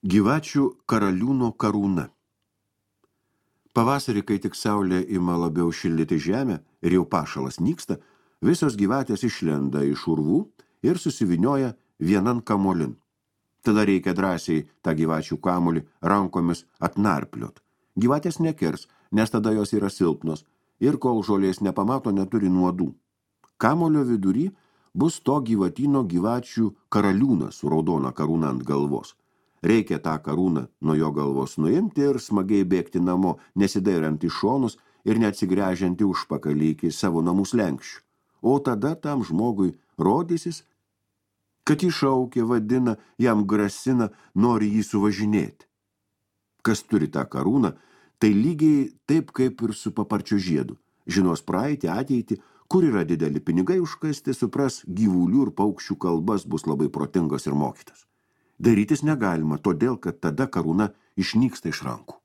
Gyvačių karaliūno karūna. Pavasarį, kai tik saulė ima labiau šildyti žemę ir jau pašalas nyksta, visos gyvatės išlenda iš urvų ir susivinioja vienan kamolin. Tada reikia drąsiai tą gyvačių kamolį rankomis atnarpliot. Gyvatės nekirs, nes tada jos yra silpnos ir kol žolės nepamato, neturi nuodų. Kamolio vidury bus to gyvatyno gyvačių karaliūnas su raudona karūna ant galvos. Reikia tą karūną nuo jo galvos nuimti ir smagiai bėgti namo, nesidairant į šonus ir neatsigręžianti užpakalį iki savo namų slenkščių. O tada tam žmogui rodysis, kad jį šaukia, vadina, jam grasina, nori jį suvažinėti. Kas turi tą karūną, tai lygiai taip kaip ir su paparčio žiedu. Žinos praeitį, ateitį, kur yra dideli pinigai užkasti, supras gyvulių ir paukščių kalbas, bus labai protingas ir mokytas. Darytis negalima, todėl, kad tada karūna išnyksta iš rankų.